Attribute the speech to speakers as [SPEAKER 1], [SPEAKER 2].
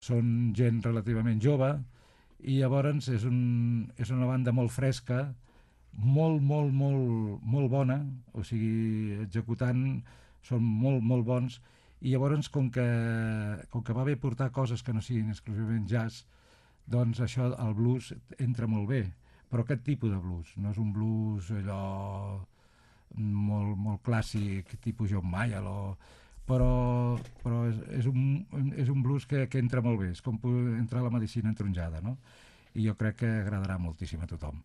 [SPEAKER 1] són gent relativament jove, i llavors és una banda molt fresca, molt bona, o sigui, executant són molt bons, i llavors com que va bé portar coses que no siguin exclusivament jazz, doncs això, el blues entra molt bé, però aquest tipus de blues, no és un blues allò molt clàssic, tipus John Mayall, però és un blues que entra molt bé, és com entrar a la medicina entronjada, no? I jo crec que agradarà moltíssim a tothom.